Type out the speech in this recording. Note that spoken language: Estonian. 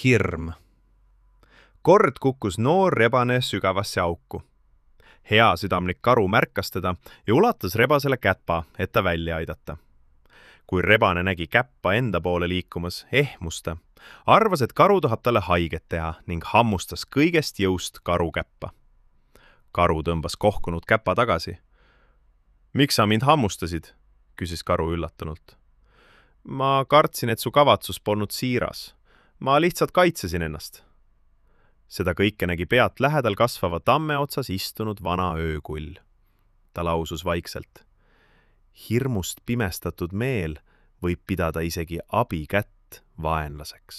Hirm. Kord kukkus noor rebane sügavasse auku. Hea südamlik karu märkas teda ja ulatas rebasele käpa, et ta välja aidata. Kui rebane nägi käppa enda poole liikumas, ehmus ta, arvas, et karu tahab talle haiget teha ning hammustas kõigest jõust karu käppa. Karu tõmbas kohkunud käpa tagasi. Miks sa mind hammustasid? Küsis karu üllatunult. Ma kartsin, et su kavatsus polnud siiras. Ma lihtsalt kaitsesin ennast. Seda kõike nägi pealt lähedal kasvava tamme otsas istunud vana öökull. Ta lausus vaikselt. Hirmust pimestatud meel võib pidada isegi abikätt vaenlaseks.